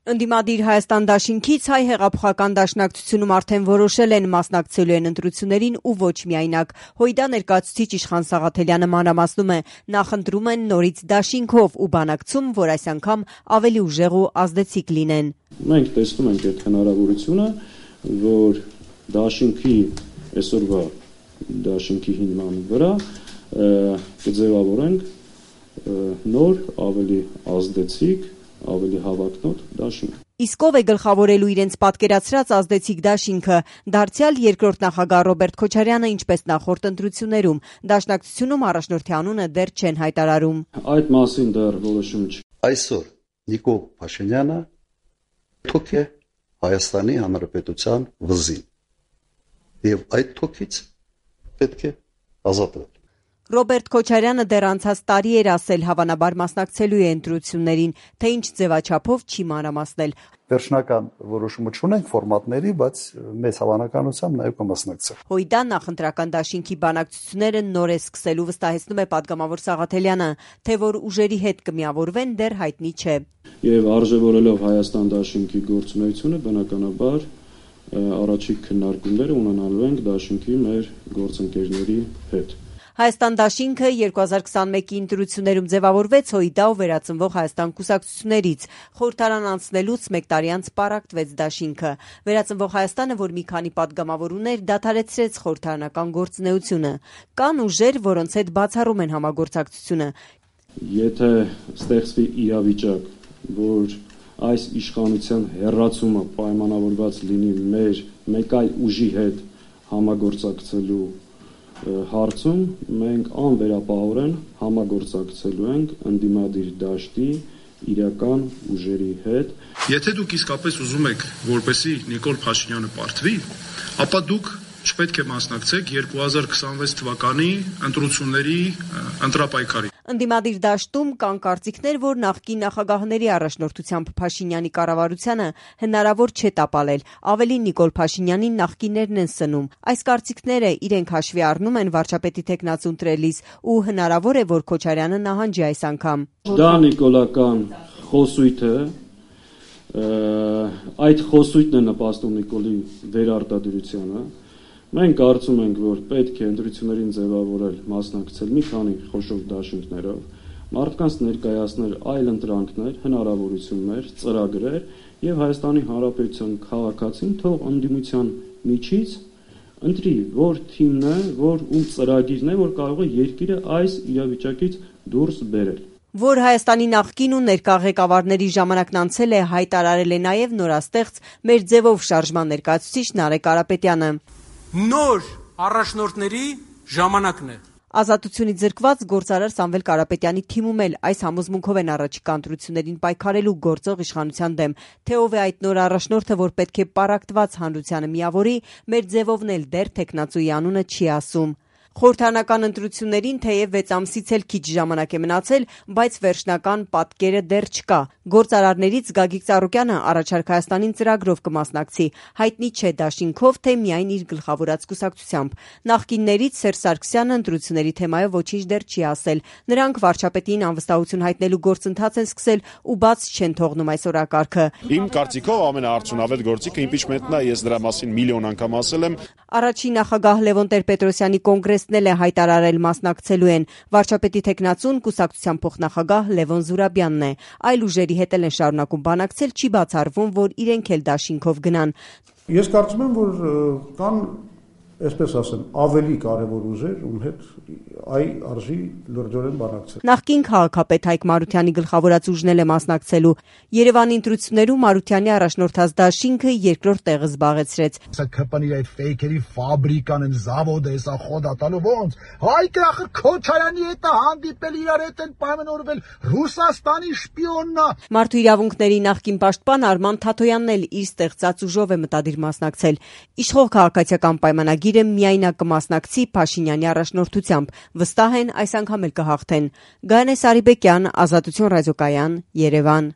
Ընդդիմադիր Հայաստան դաշինքից հայ հեղափոխական դաշնակցությունում արդեն որոշել են մասնակցելու են ընտրություններին ու ոչ միայնակ։ ՀՅԴ ներկայացուցիչ Իշխան Սաղաթելյանը մանրամասնում է, նախընտրում են նորից դաշինքով ու բանակցում, որ այս անգամ ավելի ուժեղ ու ազդեցիկ լինեն։ Մենք տեսնում ենք այդ հնարավորությունը, որ դաշինքի այսօրվա դաշինքի հիման վրա կձևավորենք նոր, ավելի ազդեցիկ, ավելի հավակնոտ դաշինք։ Իսկ ով է գլխավորելու իրենց պատկերացրած ազդեցիկ դաշինքը, դարձյալ երկրորդ նախագահ Ռոբերտ Քոչարյանը, ինչպես նախորդ ընտրություններում, դաշնակցությունում առաջնորդի անունը դեռ չեն հայտարարում։ Այդ մասին դեռ որոշում չի։ Այսօր Նիկոլ Փաշինյանը թոք է Հայաստանի Հանրապետության վզին։ Եվ այդ թոքից պետք է ազատվել։ Ռոբերտ Քոչարյանը դեռ անցած տարի էր ասել, հավանաբար մասնակցելու է ընտրություններին, թե ինչ ձևաչափով չի մանրամասնել։ Վերջնական որոշումը չունենք ֆորմատների, բայց մեծ հավանականությամբ նաև կմասնակցել։ ՀՅԴ նախընտրական դաշինքի բանակցությունները նոր է սկսելու, վստահեցնում է պատգամավոր Սաղաթելյանը, թե որ ուժերի հետ կմիավորվեն, դեռ հայտնի չէ։ Եվ արժևորելով Հայաստան դաշինքի գործունեությունը, բնականաբար առաջիկ քննարկումները ունենալու ենք դաշինքի մեր գործընկերների հետ։ Հայաստան դաշինքը 2021-ի ընտրություններում ձևավորվեց ՀՅԴ ու վերածնվող Հայաստան կուսակցություններից։ Խորհրդարան անցնելուց մեկ տարի անց պառակտվեց դաշինքը։ Վերածնվող Հայաստանը, որ մի քանի պատգամավոր ուներ, դադարեցրեց խորհրդարանական գործունեությունը։ Կան ուժեր, որոնց հետ բացառում են համագործակցությունը։ Եթե ստեղծվի իրավիճակ, որ այս իշխանության հեռացումը պայմանավորված լինի մեր մեկ այլ ուժի հետ համագործակցելու հարցում, մենք անվերապահորեն համագործակցելու ենք ընդդիմադիր դաշտի իրական ուժերի հետ։ Եթե դուք իսկապես ուզում եք, որպեսզի Նիկոլ Փաշինյանը պարտվի, ապա դուք չպետք է մասնակցեք 2026 թվականի ընտրությունների ընտրապայքարին։ Ընդդիմադիր դաշտում կան կարծիքներ, որ նախկին նախագահների առաջնորդությամբ Փաշինյանի կառավարությանը հնարավոր չէ տապալել, ավելի Նիկոլ Փաշինյանին նախկիններն են սնում։ Այս կարծիքները իրենք հաշվի առնում են վարչապետի թեկնածու ընտրելիս ու հնարավոր է, որ Քոչարյանը նահանջի այս անգամ։ Դա նիկոլական խոսույթ է, այդ խոսույթն է նպաստում Նիկոլի վերարտադրությանը։ Մենք կարծում ենք, որ պետք է ընտրություններին ձևավորել, մասնակցել մի քանի խոշոր դաշինքներով, մարդկանց ներկայացնել այլ ընտրանքներ, հնարավորություններ, ծրագրեր եւ Հայաստանի Հանրապետության քաղաքացին թող ընդդիմության միջից ընտրի, որ թիմն է, որ ում ծրագիրն է, որ կարող է երկիրը այս իրավիճակից դուրս բերել։ Որ Հայաստանի նախկին ու ներկա ղեկավարների ժամանակն անցել է, հայտարարել է նաև նորաստեղծ մեր ձևով շարժման ներկայացուցիչ Նարեկ Կարապետյանը։ Նոր առաջնորդների ժամանակն է։ Ազատությունից զրկված գործարար Սամվել Կարապետյանի թիմում էլ այս համոզմունքով են առաջիկա ընտրություններին պայքարելու գործող իշխանության դեմ։ Թե ով է այդ նոր առաջնորդը, որ պետք է պառակտված հանրությանը միավորի, մեր ձևովն էլ դեռ թեկնածուի անունը չի ասում։ Խորհրդարանական ընտրություններին թեև 6 ամսից էլ քիչ ժամանակ է մնացել, բայց վերջնական պատկերը դեռ չկա։ Գործարարներից Գագիկ Ծառուկյանը առաջարկ Հայաստանին ծրագրով կմասնակցի, հայտնի չէ դաշինքով, թե միայն իր գլխավորած կուսակցությամբ։ Նախկիններից Սերժ Սարգսյանը ընտրությունների թեմայով ոչինչ դեռ չի ասել։ Նրանք վարչապետին անվստահություն հայտնելու գործընթաց են սկսել ու բաց չեն թողնում այս օրակարգը։ Իմ կարծիքով ամենաարդյունավետ գործիքը իմպիչմենտն է, ես դրա մասին միլիոն անգամ ասել եմ։ Առաջին նախագահ Լևոն Տեր-Պետրոսյանի կոնգրեսն էլ է հայտարարել մասնակցելու են։ Վարչապետի թեկնածուն կուսակցության փոխնախագահ Լևոն Զուրաբյանն է։ Այլ ուժերի հետ էլ են շարունակում բանակցել, չի բացառվում, որ իրենք էլ դաշինքով գնան։ Ես կարծում եմ, որ կան, այսպես ասեմ, ավելի կարևոր ուժեր, ում հետ արժի լրջորեն բանակցել։ Նախկին քաղաքապետ Հայկ Մարությանի գլխավորած ուժն էլ է մասնակցելու։ Երևանի ընտրություններում Մարությանի առաջնորդած դաշինքը երկրորդ տեղը զբաղեցրեց։ Սա կպանի այդ ֆեյքերի ֆաբրիկան են, զավոդը, սա խոդատալու ոնց։ Հայկը ախր Քոչարյանի հետ է հանդիպել, իրար հետ են պայմանավորվել, Ռուսաստանի շպիոնն է։ Մարդու իրավունքների նախկին պաշտպան Արման Թաթոյանն էլ իր ստեղծած ուժով է մտադիր մասնակցել։ Իշխող քաղաքացիական պայմանագիրը միայնակ կմասնակցի Փաշինյանի առաջնորդությամբ։ Վստահ են այս անգամ էլ կհաղթեն։ Գայանե Սարիբեկյան, Ազատություն ռադիոկայան, Երևան։